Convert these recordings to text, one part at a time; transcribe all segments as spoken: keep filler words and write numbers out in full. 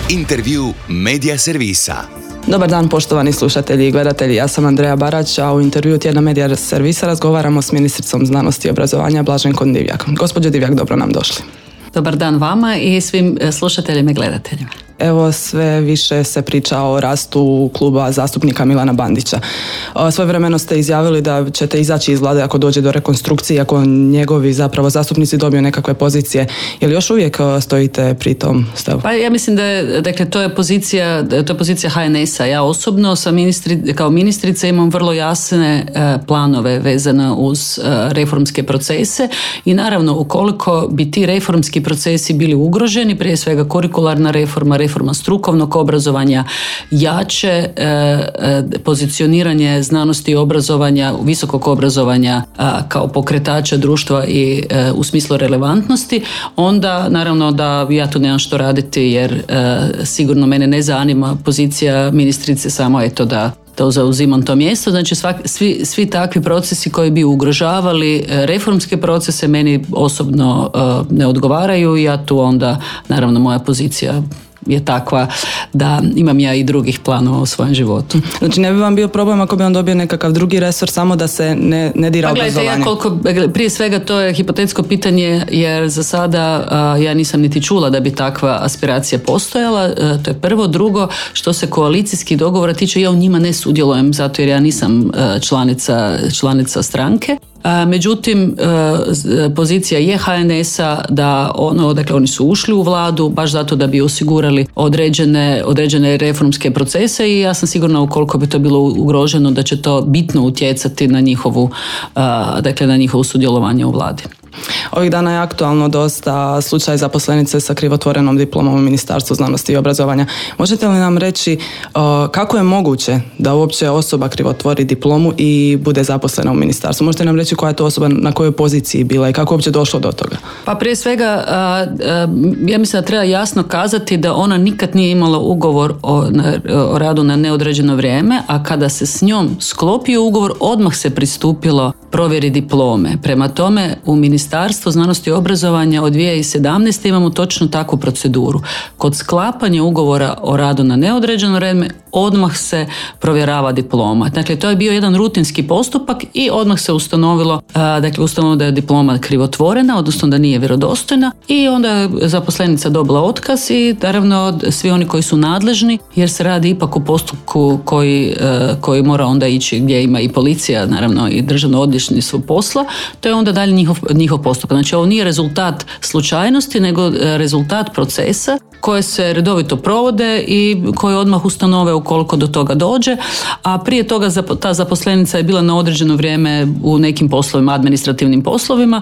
Intervju Medija servisa. Dobar dan poštovani slušatelji i gledatelji, ja sam Andreja Barać, a u intervju tjedna Medija servisa razgovaramo s ministricom znanosti i obrazovanja Blaženkom Divjak. Gospođo Divjak, dobro nam došli. Dobar dan vama i svim slušateljima i gledateljima. Evo, sve više se priča o rastu kluba zastupnika Milana Bandića. Svojevremeno ste izjavili da ćete izaći iz vlade ako dođe do rekonstrukcije, ako njegovi zapravo zastupnici dobiju nekakve pozicije. Je li još uvijek stojite pri tom stavu? Pa ja mislim da je, dakle, to je pozicija, to je pozicija H N S-a. Ja osobno sam ministri, kao ministrica imam vrlo jasne e, planove vezane uz e, reformske procese i naravno ukoliko bi ti reformski procesi bili ugroženi, prije svega kurikularna reforma, reforma strukovnog obrazovanja, jače e, e, pozicioniranje znanosti i obrazovanja, visokog obrazovanja a, kao pokretača društva i e, u smislu relevantnosti, onda naravno da ja tu nemam što raditi jer e, sigurno mene ne zanima pozicija ministrice samo eto da to zauzimam to mjesto. Znači svak, svi, svi takvi procesi koji bi ugrožavali reformske procese meni osobno uh, ne odgovaraju i ja tu onda, naravno moja pozicija je takva da imam ja i drugih planova u svojem životu. Znači ne bi vam bio problem ako bi on dobio nekakav drugi resor samo da se ne, ne dira obrazovanje? Pa gledajte, ja koliko, prije svega to je hipotetsko pitanje jer za sada a, ja nisam niti čula da bi takva aspiracija postojala, a, to je prvo. Drugo, što se koalicijskih dogovora tiče, ja u njima ne sudjelujem zato jer ja nisam a, članica, članica stranke. Međutim, pozicija je H N S-a da ono, dakle oni su ušli u vladu baš zato da bi osigurali određene, određene reformske procese i ja sam sigurna ukoliko bi to bilo ugroženo da će to bitno utjecati na njihovu, dakle na njihovo sudjelovanje u vladi. Ovih dana je aktualno dosta slučaj zaposlenice sa krivotvorenom diplomom u Ministarstvu znanosti i obrazovanja. Možete li nam reći uh, kako je moguće da uopće osoba krivotvori diplomu i bude zaposlena u ministarstvu? Možete nam reći koja je to osoba, na kojoj poziciji bila i kako je uopće došlo do toga? Pa prije svega, uh, uh, ja mislim da treba jasno kazati da ona nikad nije imala ugovor o, na, o radu na neodređeno vrijeme, a kada se s njom sklopio ugovor, odmah se pristupilo provjeri diplome. Prema tome, u Ministarstvu znanosti i obrazovanja od dvije tisuće sedamnaeste imamo točno takvu proceduru. Kod sklapanja ugovora o radu na neodređeno vrijeme odmah se provjerava diploma. Dakle, to je bio jedan rutinski postupak i odmah se ustanovilo, dakle, ustanovilo da je diploma krivotvorena, odnosno da nije vjerodostojna i onda je zaposlenica dobila otkaz i naravno svi oni koji su nadležni, jer se radi ipak u postupku koji, koji mora onda ići gdje ima i policija, naravno i državno odvjetništvo posla, to je onda dalje njihov, njihov postupak. Znači, ovo nije rezultat slučajnosti, nego rezultat procesa koje se redovito provode i koje odmah ustanove ukoliko do toga dođe, a prije toga ta zaposlenica je bila na određeno vrijeme u nekim poslovima, administrativnim poslovima.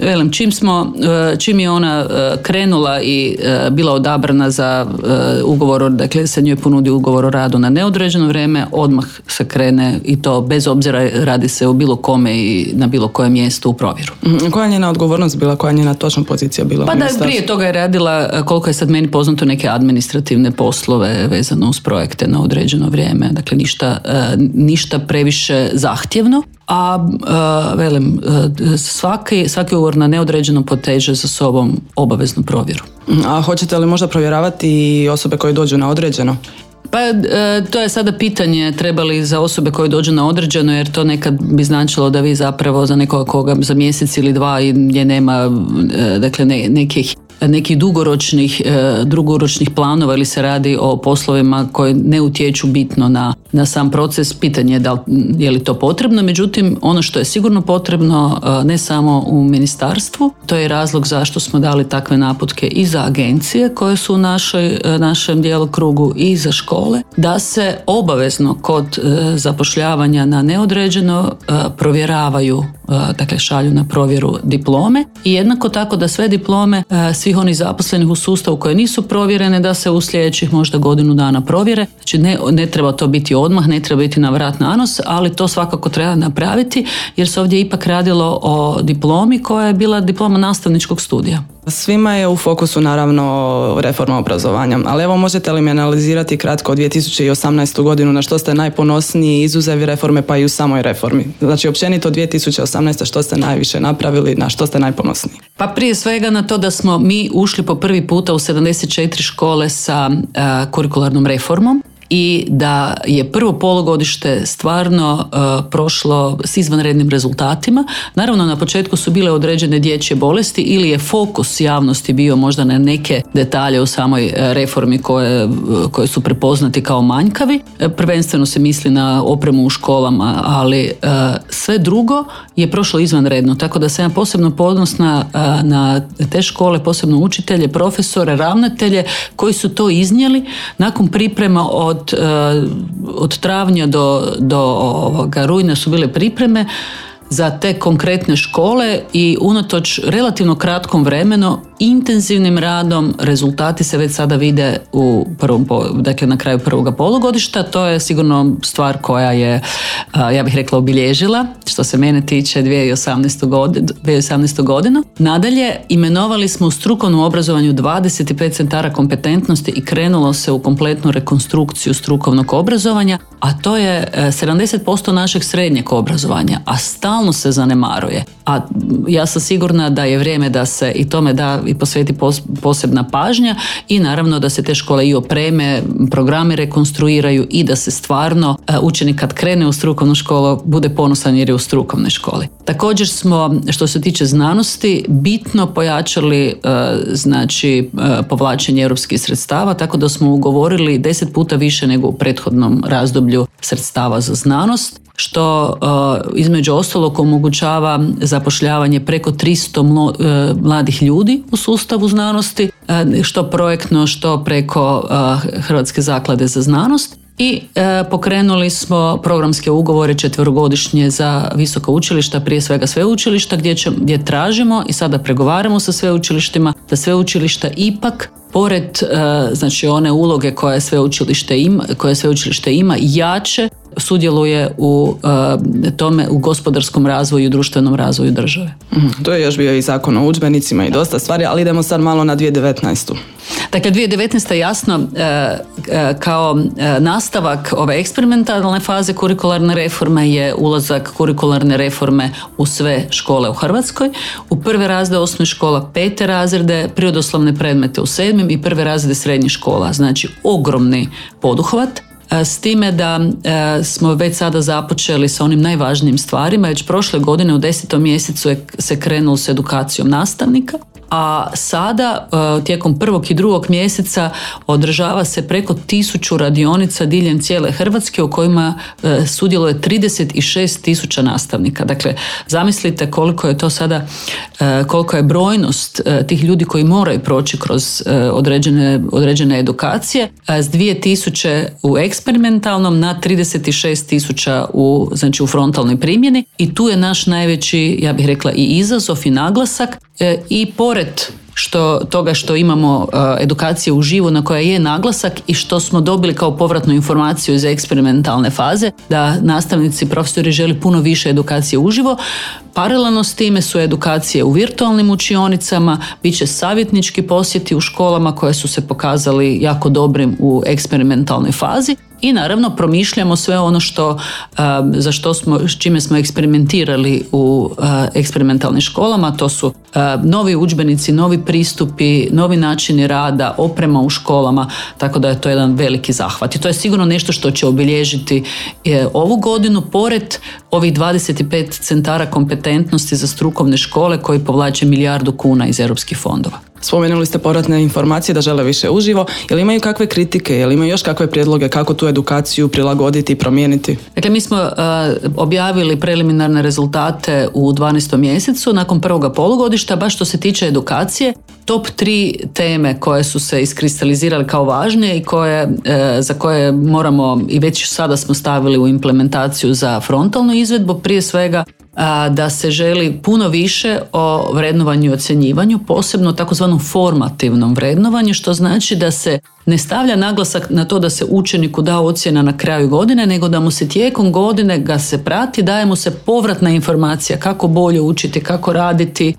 Velim, čim smo, čim je ona krenula i bila odabrana za ugovor, dakle se njoj ponudi ugovor o radu na neodređeno vrijeme, odmah se krene i to bez obzira radi se o bilo kome i na bilo kojem mjestu u provjeru. Koja je njena odgovornost bila, koja je njena točna pozicija bila? Pa da, prije toga je radila, koliko je sad meni poznato, neke administrativne poslove vezano uz projekte na određeno vrijeme, dakle ništa, ništa previše zahtjevno. A uh, velim, uh, svaki, svaki ugovor na neodređeno poteže za sobom obaveznu provjeru. A hoćete li možda provjeravati i osobe koje dođu na određeno? Pa e, to je sada pitanje treba li za osobe koje dođu na određeno, jer to nekad bi značilo da vi zapravo za nekoga koga za mjesec ili dva i gdje nema e, dakle ne, nekih nekih dugoročnih, dugoročnih planova ili se radi o poslovima koji ne utječu bitno na, na sam proces, pitanje je da li, je li to potrebno. Međutim, ono što je sigurno potrebno ne samo u ministarstvu, to je razlog zašto smo dali takve naputke i za agencije koje su u našoj, našem djelokrugu i za škole, da se obavezno kod zapošljavanja na neodređeno provjeravaju, dakle šalju na provjeru diplome i jednako tako da sve diplome svih onih zaposlenih u sustavu koje nisu provjerene da se u sljedećih možda godinu dana provjere. Znači ne, ne treba to biti odmah, ne treba biti na vrat na nos, ali to svakako treba napraviti jer se ovdje ipak radilo o diplomi koja je bila diploma nastavničkog studija. Svima je u fokusu naravno reforma obrazovanja, ali evo možete li mi analizirati kratko dvije tisuće osamnaestu godinu na što ste najponosniji izuzev reforme pa i u samoj reformi? Znači općenito dvije tisuće osamnaeste što ste najviše napravili, na što ste najponosniji? Pa prije svega na to da smo mi ušli po prvi puta u sedamdeset četiri škole sa uh, kurikularnom reformom i da je prvo polugodište stvarno uh, prošlo s izvanrednim rezultatima. Naravno, na početku su bile određene dječje bolesti ili je fokus javnosti bio možda na neke detalje u samoj reformi koje, koje su prepoznati kao manjkavi. Prvenstveno se misli na opremu u školama, ali uh, sve drugo je prošlo izvanredno, tako da sam ja posebno ponosna uh, na te škole, posebno učitelje, profesore, ravnatelje koji su to iznijeli nakon priprema od Od, od travnja do, do ovoga, rujna su bile pripreme za te konkretne škole i unatoč relativno kratkom vremenu, intenzivnim radom, rezultati se već sada vide u prvom, dakle na kraju prvoga polugodišta. To je sigurno stvar koja je, ja bih rekla, obilježila što se mene tiče dvije tisuće osamnaestu godinu. Nadalje, imenovali smo u strukovnom obrazovanju dvadeset pet centara kompetentnosti i krenulo se u kompletnu rekonstrukciju strukovnog obrazovanja, a to je sedamdeset posto našeg srednjeg obrazovanja, a stalno se zanemaruje. A ja sam sigurna da je vrijeme da se i tome da i posveti posebna pažnja i naravno da se te škole i opreme, programe rekonstruiraju i da se stvarno učenik kad krene u strukovnu školu bude ponosan jer je u strukovnoj školi. Također smo, što se tiče znanosti, bitno pojačali znači povlačenje europskih sredstava, tako da smo ugovorili deset puta više nego u prethodnom razdoblju sredstava za znanost, što uh, između ostalog omogućava zapošljavanje preko tristo mlo, uh, mladih ljudi u sustavu znanosti, uh, što projektno, što preko uh, Hrvatske zaklade za znanost. I e, pokrenuli smo programske ugovore četverogodišnje za visoka učilišta, prije svega sveučilišta, gdje, će, gdje tražimo i sada pregovaramo sa sveučilištima da sveučilišta ipak pored e, znači one uloge koje sveučilište ima, koje sveučilište ima jače sudjeluje u e, tome, u gospodarskom razvoju i društvenom razvoju države. Mm, to je još bio i zakon o udžbenicima i dosta stvari, ali idemo sad malo na dvije tisuće devetnaestu. Dakle, dvije tisuće devetnaesta jasno e, e, kao e, nastavak ove eksperimentalne faze kurikularne reforme je ulazak kurikularne reforme u sve škole u Hrvatskoj. U prve razrede osnovnih škola, pete razrede, prirodoslovne predmete u sedmim i prve razrede srednjih škola. Znači, ogromni poduhvat. S time da e, smo već sada započeli sa onim najvažnijim stvarima. Već prošle godine u desetom mjesecu je se krenulo s edukacijom nastavnika, a sada e, tijekom prvog i drugog mjeseca održava se preko tisuću radionica diljem cijele Hrvatske u kojima e, sudjeluje trideset šest tisuća nastavnika. Dakle, zamislite koliko je to sada, e, koliko je brojnost e, tih ljudi koji moraju proći kroz e, određene, određene edukacije, e, s dvije tisuće u eksperimentalnom na trideset šest tisuća u, znači u frontalnoj primjeni i tu je naš najveći, ja bih rekla, i izazov i naglasak e, i pored što toga što imamo uh, edukacije uživo na koja je naglasak i što smo dobili kao povratnu informaciju iz eksperimentalne faze da nastavnici i profesori žele puno više edukacije uživo. Paralelno s time su edukacije u virtualnim učionicama, bit će savjetnički posjeti u školama koje su se pokazali jako dobrim u eksperimentalnoj fazi. I naravno promišljamo sve ono što, uh, za što smo, s čime smo eksperimentirali u uh, eksperimentalnim školama, to su uh, novi udžbenici, novi pristupi, novi načini rada, oprema u školama, tako da je to jedan veliki zahvat. I to je sigurno nešto što će obilježiti uh, ovu godinu, pored ovih dvadeset pet centara kompetentnosti za strukovne škole koji povlače milijardu kuna iz europskih fondova. Spomenuli ste povratne informacije da žele više uživo. Jel imaju kakve kritike, jel imaju još kakve prijedloge kako tu edukaciju prilagoditi i promijeniti? Dakle, mi smo uh, objavili preliminarne rezultate u dvanaestom mjesecu nakon prvoga polugodišta. Baš što se tiče edukacije, top tri teme koje su se iskristalizirale kao važne i koje, uh, za koje moramo i već sada smo stavili u implementaciju za frontalnu izvedbu, prije svega da se želi puno više o vrednovanju i ocjenjivanju, posebno takozvanom formativnom vrednovanju, što znači da se ne stavlja naglasak na to da se učeniku da ocjena na kraju godine, nego da mu se tijekom godine ga se prati, daje mu se povratna informacija kako bolje učiti, kako raditi,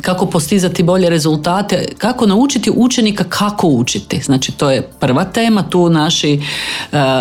kako postizati bolje rezultate, kako naučiti učenika kako učiti. Znači to je prva tema, tu naši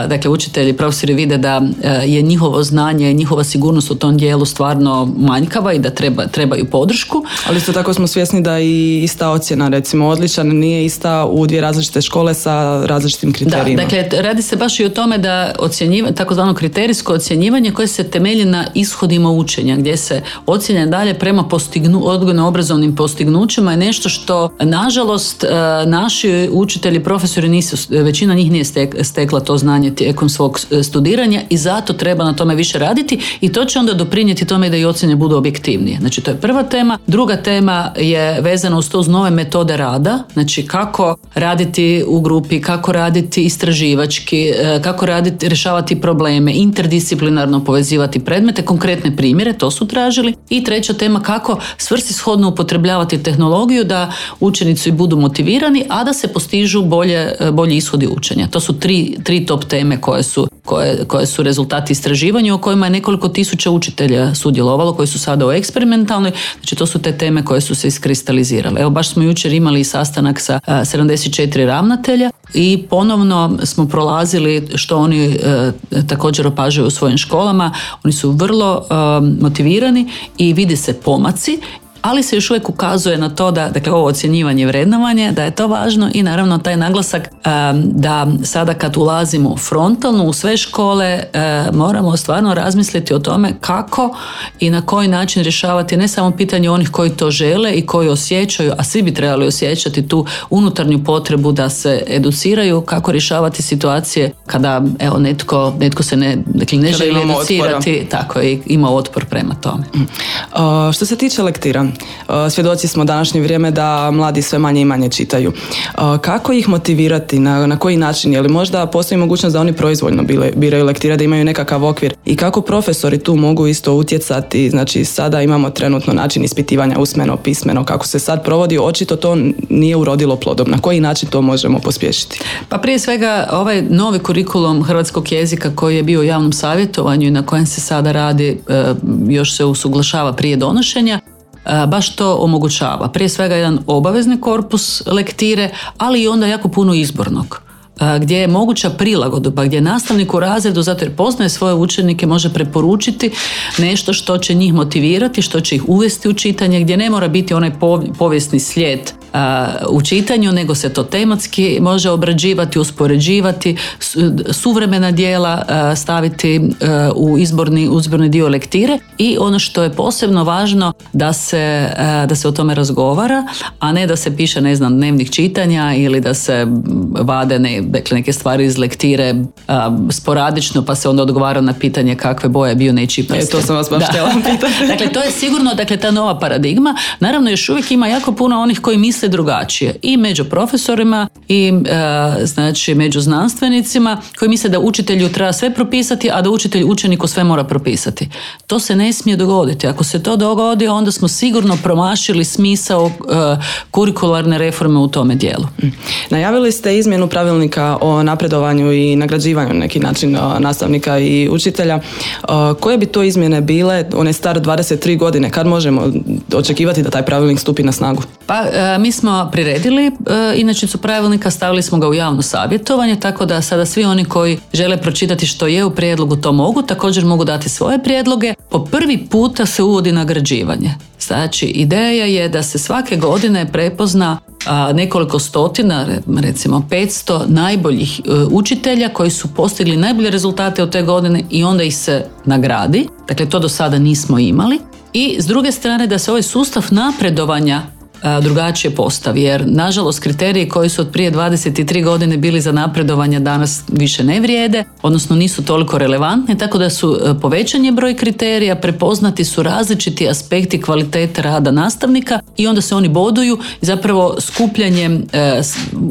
dakle učitelji, profesori vide da je njihovo znanje, njihova sigurnost u tom dijelu stvarno manjkava i da treba, trebaju podršku. Ali isto tako smo svjesni da i ista ocjena, recimo odličan, nije ista u dvije različite škole sa različitim kriterijima. Da, dakle radi se baš i o tome da ocjenjivanje, takozvano kriterijsko ocjenjivanje koje se temelji na ishodima učenja, gdje se ocjenja dalje prema postignu, odgojno-obrazovnim postignućima je nešto što nažalost naši učitelji, profesori nisu, većina njih nije stekla to znanje tijekom svog studiranja i zato treba na tome više raditi i to će onda doprinijeti tome da i ocjene budu objektivnije. Znači to je prva tema. Druga tema je vezana uz to uz nove metode rada, znači kako raditi u grupi, kako raditi istraživački, kako raditi, rješavati probleme, interdisciplinarno povezivati predmete, konkretne primjere, to su tražili. I treća tema kako svrsishodno upotrebljavati tehnologiju da učenici budu motivirani, a da se postižu bolje, bolji ishodi učenja. To su tri, tri top teme koje su, koje, koje su rezultati istraživanja u kojima je nekoliko tisuća učitelja sudjelovalo, koji su sada u eksperimentalnoj, znači to su te teme koje su se iskristalizirale. Evo baš smo jučer imali sastanak sa a, sedamdeset četiri ravnatelja i ponovno smo prolazili što oni e, također opažaju u svojim školama. Oni su vrlo e, motivirani i vidi se pomaci, ali se još uvijek ukazuje na to da, dakle, ovo ocjenjivanje i vrednovanje, da je to važno i naravno taj naglasak um, da sada kad ulazimo frontalno u sve škole um, moramo stvarno razmisliti o tome kako i na koji način rješavati ne samo pitanje onih koji to žele i koji osjećaju, a svi bi trebali osjećati tu unutarnju potrebu da se educiraju, kako rješavati situacije kada evo netko, netko se ne, dakle, ne želi educirati, otpora. Tako i ima otpor prema tome. Uh, što se tiče lektira, svjedoci smo današnje vrijeme da mladi sve manje i manje čitaju. Kako ih motivirati, na, na koji način? Je li možda postoji mogućnost da oni proizvoljno bile, biraju lektire, da imaju nekakav okvir? I kako profesori tu mogu isto utjecati? Znači sada imamo trenutno način ispitivanja usmeno, pismeno, kako se sad provodi, očito to nije urodilo plodom. Na koji način to možemo pospješiti? Pa prije svega ovaj novi kurikulum hrvatskog jezika koji je bio u javnom savjetovanju i na kojem se sada radi, još se usuglašava prije donošenja, baš to omogućava. Prije svega jedan obavezni korpus lektire, ali i onda jako puno izbornog, gdje je moguća prilagodba, gdje nastavnik u razredu, zato jer poznaje svoje učenike, može preporučiti nešto što će njih motivirati, što će ih uvesti u čitanje, gdje ne mora biti onaj povijesni slijed u čitanju, nego se to tematski može obrađivati, uspoređivati, suvremena djela staviti u izborni, izborni dio lektire i ono što je posebno važno da se, da se o tome razgovara, a ne da se piše, ne znam, dnevnik čitanja ili da se vade ne, dakle, neke stvari iz lektire a, sporadično pa se onda odgovara na pitanje kakve boje bio nečiji prsten. E, to sam vas baš htjela pitati. Dakle, to je sigurno, dakle, ta nova paradigma. Naravno, još uvijek ima jako puno onih koji misle drugačije. I među profesorima i a, znači među znanstvenicima koji misle da učitelju treba sve propisati, a da učitelj učeniku sve mora propisati. To se ne smije dogoditi. Ako se to dogodi, onda smo sigurno promašili smisao a, kurikularne reforme u tome dijelu. Najavili ste izmjenu pravilnika o napredovanju i nagrađivanju na neki način nastavnika i učitelja. Koje bi to izmjene bile? On je star dvadeset tri godine. Kad možemo očekivati da taj pravilnik stupi na snagu? Pa mi smo priredili inačicu pravilnika, stavili smo ga u javno savjetovanje, tako da sada svi oni koji žele pročitati što je u prijedlogu to mogu, također mogu dati svoje prijedloge. Po prvi puta se uvodi nagrađivanje. Znači, ideja je da se svake godine prepozna a, nekoliko stotina, recimo petsto najboljih e, učitelja koji su postigli najbolje rezultate od te godine i onda ih se nagradi. Dakle, to do sada nismo imali. I s druge strane da se ovaj sustav napredovanja drugačije postavi, jer nažalost kriteriji koji su od prije dvadeset tri godine bili za napredovanje danas više ne vrijede, odnosno nisu toliko relevantni, tako da su povećan je broj kriterija, prepoznati su različiti aspekti kvalitete rada nastavnika i onda se oni boduju i zapravo skupljanjem,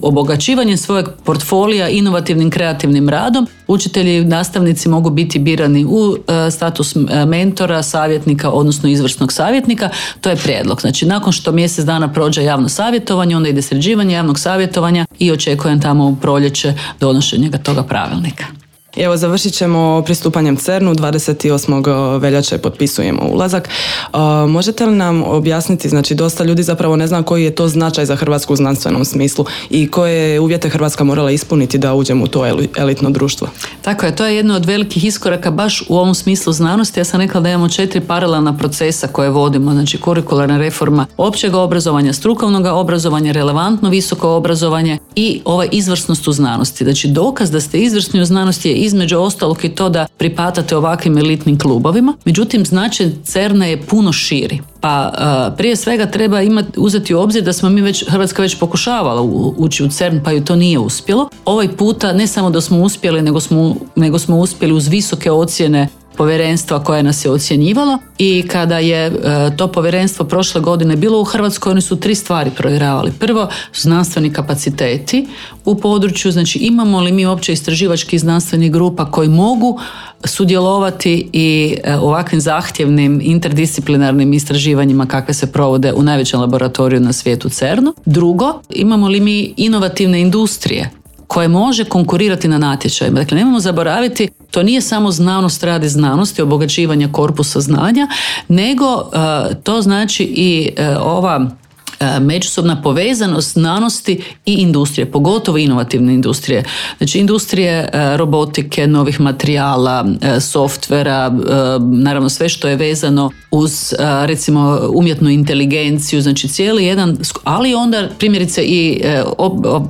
obogaćivanjem svojeg portfolija inovativnim kreativnim radom učitelji, nastavnici mogu biti birani u status mentora, savjetnika, odnosno izvrsnog savjetnika. To je prijedlog. Znači, nakon što mjesec dana prođe javno savjetovanje, onda ide sređivanje javnog savjetovanja i očekujem tamo u proljeće donošenja toga pravilnika. Evo, završit ćemo pristupanjem CERN-u, dvadeset osmog veljače potpisujemo ulazak. Uh, možete li nam objasniti, znači dosta ljudi zapravo ne zna koji je to značaj za Hrvatsku u znanstvenom smislu i koje uvjete Hrvatska morala ispuniti da uđemo u to elitno društvo? Tako je, to je jedno od velikih iskoraka baš u ovom smislu znanosti. Ja sam rekla da imamo četiri paralelna procesa koje vodimo, znači kurikularna reforma općeg obrazovanja, strukovnog obrazovanja, relevantno visoko obrazovanje i ova izvrsnost u znanosti. Znači, dokaz da ste izvrsni u znanosti je između ostalog i to da pripadate ovakvim elitnim klubovima. Međutim, značaj CERN-a je puno širi. Pa uh, prije svega treba imati, uzeti u obzir da smo mi već, Hrvatska već pokušavala u, ući u CERN, pa ju to nije uspjelo. Ovaj puta ne samo da smo uspjeli, nego smo, nego smo uspjeli uz visoke ocjene povjerenstva koje nas je ocjenjivalo, i kada je e, to povjerenstvo prošle godine bilo u Hrvatskoj, oni su tri stvari provjeravali. Prvo, znanstveni kapaciteti u području, znači imamo li mi uopće istraživačkih znanstvenih grupa koji mogu sudjelovati i e, ovakvim zahtjevnim interdisciplinarnim istraživanjima kakve se provode u najvećem laboratoriju na svijetu CERN-u. Drugo, imamo li mi inovativne industrije koje može konkurirati na natječajima. Dakle, nemojmo zaboraviti, to nije samo znanost radi znanosti, obogaćivanja korpusa znanja, nego uh, to znači i uh, ova međusobna povezanost znanosti i industrije, pogotovo inovativne industrije. Znači, industrije robotike, novih materijala, softvera, naravno sve što je vezano uz, recimo, umjetnu inteligenciju, znači cijeli jedan, ali onda primjerice i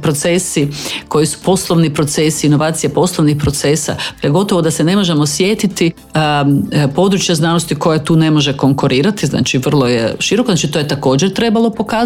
procesi koji su poslovni procesi, inovacije poslovnih procesa, gotovo da se ne možemo sjetiti područja znanosti koja tu ne može konkurirati, znači vrlo je široko, znači to je također trebalo pokazati.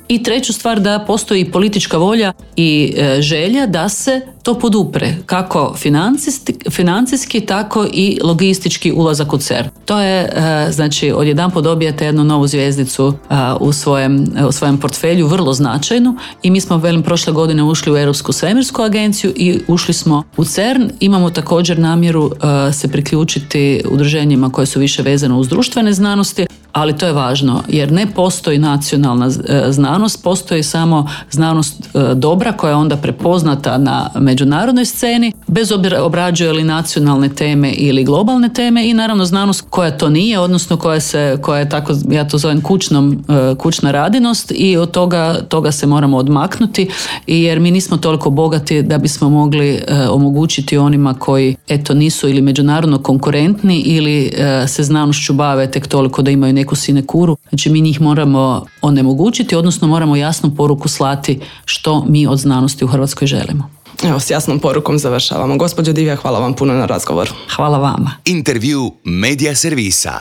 I treću stvar, da postoji politička volja i e, želja da se to podupre, kako financijski, financijski tako i logistički ulazak u CERN. To je, e, znači, odjedanput dobijate jednu novu zvjezdicu e, u, svojem, u svojem portfelju, vrlo značajnu, i mi smo, velim, prošle godine ušli u Europsku svemirsku agenciju i ušli smo u CERN. Imamo također namjeru e, se priključiti udruženjima koje su više vezane uz društvene znanosti, ali to je važno jer ne postoji nacionalna znanost, postoji samo znanost dobra koja je onda prepoznata na međunarodnoj sceni, bez obzira obrađuje li nacionalne teme ili globalne teme, i naravno znanost koja to nije, odnosno koja se, koja je tako, ja to zovem kućnom, kućna radinost, i od toga, toga se moramo odmaknuti, jer mi nismo toliko bogati da bismo mogli omogućiti onima koji eto nisu ili međunarodno konkurentni ili se znanošću bave tek toliko da imaju neku sinekuru. Znači, mi njih moramo onemogućiti, odnosno moramo jasnu poruku slati što mi od znanosti u Hrvatskoj želimo. Evo, s jasnom porukom završavamo. Gospođo Divjak, hvala vam puno na razgovoru. Hvala vama. Intervju Medija servisa.